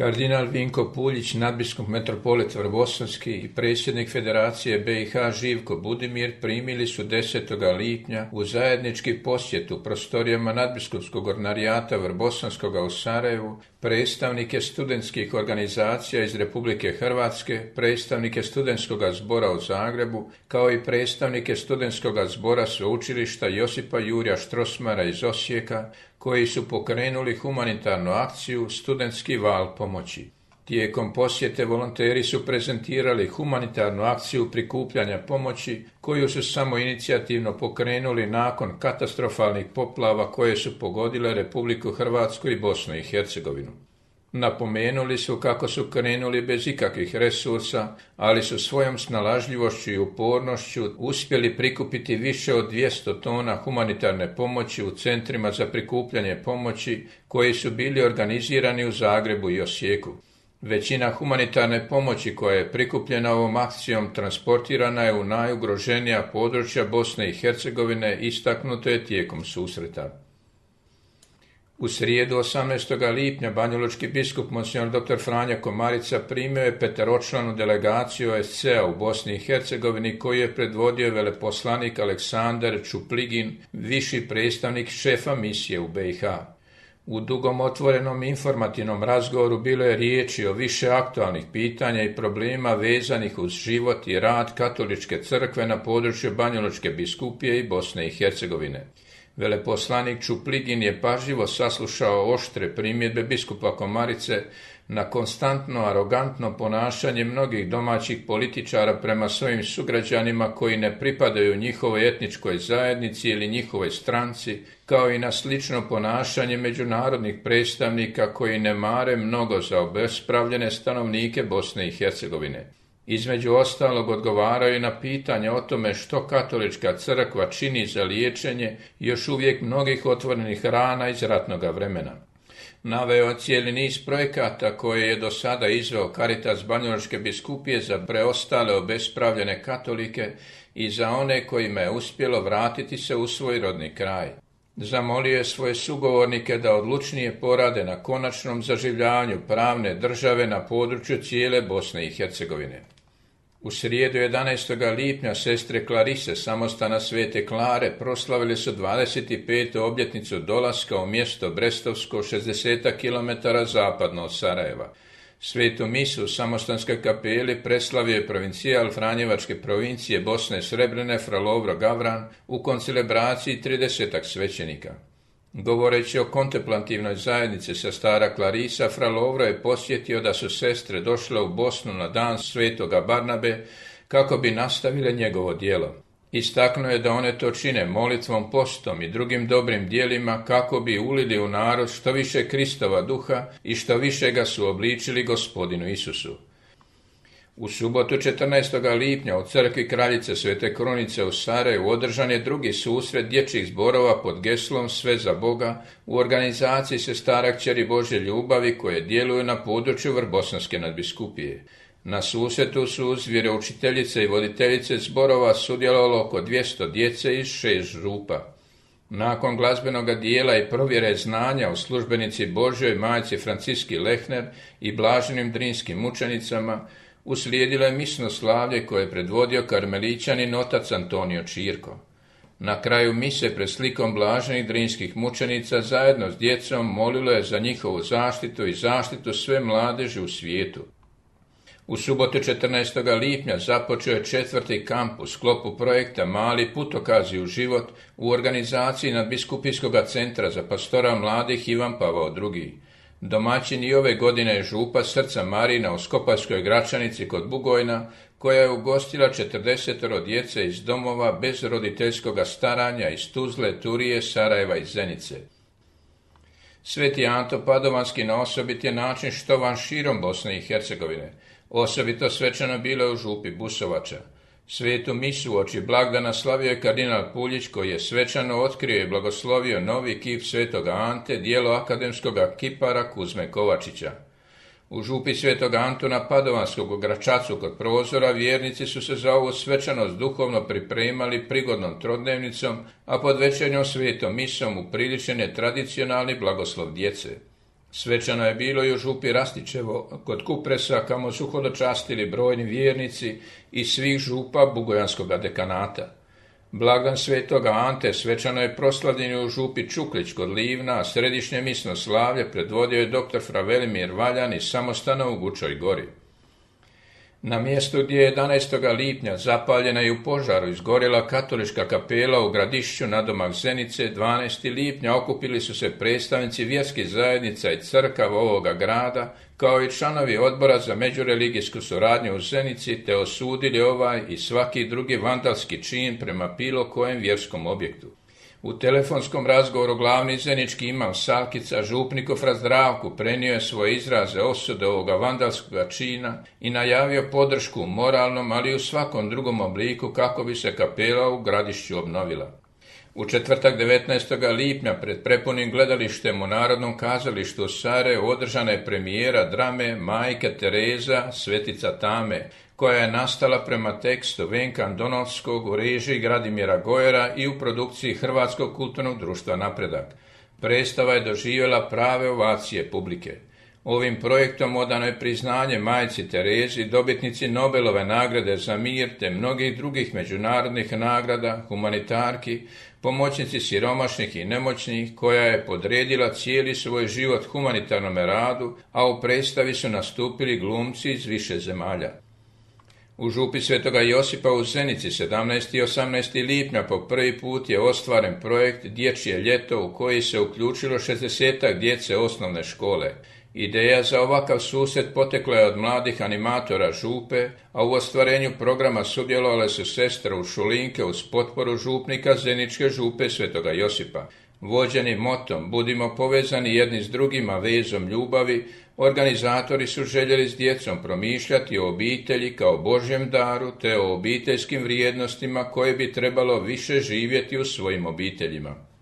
Kardinal Vinko Puljić, nadbiskup metropolit Vrbosanski i predsjednik Federacije BiH Živko Budimir primili su 10. lipnja u zajednički posjet u prostorijama nadbiskupskog ordinarijata Vrbosanskoga u Sarajevu predstavnike studentskih organizacija iz Republike Hrvatske, predstavnike studentskog zbora u Zagrebu, kao i predstavnike studentskog zbora sveučilišta Josipa Jurja Strossmayera iz Osijeka, koji su pokrenuli humanitarnu akciju Studentski val pomoći. Tijekom posjete volonteri su prezentirali humanitarnu akciju prikupljanja pomoći koju su samoinicijativno pokrenuli nakon katastrofalnih poplava koje su pogodile Republiku Hrvatsku i Bosnu i Hercegovinu. Napomenuli su kako su krenuli bez ikakvih resursa, ali su svojom snalažljivošću i upornošću uspjeli prikupiti više od 200 tona humanitarne pomoći u centrima za prikupljanje pomoći koji su bili organizirani u Zagrebu i Osijeku. Većina humanitarne pomoći koja je prikupljena ovom akcijom transportirana je u najugroženija područja Bosne i Hercegovine, istaknuto je tijekom susreta. U srijedu 18. lipnja banjalučki biskup Monsignor dr. Franjo Komarica primio je 5-članu delegaciju OSCE-a u Bosni i Hercegovini koju je predvodio veleposlanik Aleksandar Čupligin, viši predstavnik šefa misije u BiH. U dugom otvorenom informativnom razgovoru bilo je riječi o više aktualnih pitanja i problema vezanih uz život i rad katoličke crkve na području Banjalučke biskupije i Bosne i Hercegovine. Veleposlanik Čupligin je pažljivo saslušao oštre primjedbe biskupa Komarice na konstantno arogantno ponašanje mnogih domaćih političara prema svojim sugrađanima koji ne pripadaju njihovoj etničkoj zajednici ili njihovoj stranci, kao i na slično ponašanje međunarodnih predstavnika koji ne mare mnogo za obespravljene stanovnike Bosne i Hercegovine. Između ostalog odgovaraju na pitanje o tome što katolička crkva čini za liječenje još uvijek mnogih otvorenih rana iz ratnoga vremena. Naveo cijeli niz projekata koje je do sada izveo Caritas Banjalučke biskupije za preostale obespravljene katolike i za one kojima je uspjelo vratiti se u svoj rodni kraj. Zamolio je svoje sugovornike da odlučnije porade na konačnom zaživljavanju pravne države na području cijele Bosne i Hercegovine. U srijedu 11. lipnja sestre Klarise samostana Svete Klare proslavili su 25. obljetnicu dolaska u mjesto Brestovsko 60 km zapadno od Sarajeva. Svetu misu u samostanskoj kapeli preslavio je provincijal Franjevačke provincije Bosne Srebrene fra Lovro Gavran u koncelebraciji 30 svećenika. Govoreći o kontemplativnoj zajednici sa stara Klarisa, fra Lovro je posjetio da su sestre došle u Bosnu na dan svetoga Barnabe kako bi nastavile njegovo djelo. Istaknuo je da one to čine molitvom, postom i drugim dobrim djelima kako bi ulili u narod što više Kristova duha i što više ga su obličili Gospodinu Isusu. U subotu 14. lipnja u crkvi Kraljice Svete Krunice u Sarajevu održan je drugi susret dječjih zborova pod geslom Sve za Boga u organizaciji Sestara Kćeri Božje ljubavi koje djeluju na području Vrbosanske nadbiskupije. Na susretu su uz vjeroučiteljice i voditeljice zborova sudjelovalo oko 200 djece iz 6 župa. Nakon glazbenog dijela i provjere znanja u službenici Božjoj majci Franciski Lehner i blaženim drinskim mučenicama, uslijedilo je misno slavlje koje je predvodio karmelićanin otac Antonio Čirko. Na kraju mise pred slikom blaženih drinskih mučenica zajedno s djecom molilo je za njihovu zaštitu i zaštitu sve mladeži u svijetu. U subotu 14. lipnja započeo je 4. kamp u sklopu projekta Mali putokazi u život u organizaciji Nadbiskupijskog centra za pastora mladih Ivan Pavao II. Domaćin i ove godine je župa Srca Marina u Skopaljskoj Gračanici kod Bugojna, koja je ugostila 40 djece iz domova bez roditeljskog staranja iz Tuzle, Turije, Sarajeva i Zenice. Sveti Anto Padovanski na osobit je način štovan širom Bosne i Hercegovine. Osobito svečano bilo je u župi Busovača. Svetu misu uoči blagdana slavio je kardinal Puljić koji je svečano otkrio i blagoslovio novi kip Svetoga Ante, dijelo akademskog kipara Kuzme Kovačića. U župi Svetog Antuna Padovanskog u Gračacu kod prozora vjernici su se za ovu svečanost duhovno pripremali prigodnom trodnevnicom, a pod večernjom svetom misom upriličen je tradicionalni blagoslov djece. Svečano je bilo i u župi Rastićevo, kod Kupresa, kamo su hodočastili brojni vjernici iz svih župa Bugojanskoga dekanata. Blagdan svetoga Ante svečano je proslavljen u župi Čuklić kod Livna, a središnje misno slavlje predvodio je dr. fra Velimir Valjan iz samostana u Gučoj gori. Na mjestu gdje je 11. lipnja zapaljena i u požaru izgorjela katolička kapela u Gradišću nadomak Zenice, 12. lipnja okupili su se predstavnici vjerskih zajednica i crkava ovoga grada, kao i članovi odbora za međureligijsku suradnju u Zenici, te osudili ovaj i svaki drugi vandalski čin prema bilo kojem vjerskom objektu. U telefonskom razgovoru glavni zenički imam Salkica župnikov Zdravku prenio je svoje izraze osude ovoga vandalskoga čina i najavio podršku u moralnom, ali i u svakom drugom obliku kako bi se kapela u Gradišću obnovila. U četvrtak 19. lipnja pred prepunim gledalištem u Narodnom kazalištu u Sarajevu održana je premijera drame Majke Tereza, Svetica Tame, koja je nastala prema tekstu Venka Andonovskog u režiji Gradimira Gojera i u produkciji Hrvatskog kulturnog društva Napredak. Predstava je doživjela prave ovacije publike. Ovim projektom odano je priznanje majci Terezi, dobitnici Nobelove nagrade za mir te mnogih drugih međunarodnih nagrada, humanitarki, pomoćnici siromašnih i nemoćnih, koja je podredila cijeli svoj život humanitarnom radu, a u predstavi su nastupili glumci iz više zemalja. U župi Svetoga Josipa u Zenici 17. i 18. lipnja po prvi put je ostvaren projekt Dječje ljeto u koji se uključilo 60 djece osnovne škole. Ideja za ovakav susret potekla je od mladih animatora župe, a u ostvarenju programa sudjelovale su sestre u Šulinke uz potporu župnika Zeničke župe Svetoga Josipa. Vođeni motom "Budimo povezani jedni s drugima vezom ljubavi", organizatori su željeli s djecom promišljati o obitelji kao Božjem daru te o obiteljskim vrijednostima koje bi trebalo više živjeti u svojim obiteljima.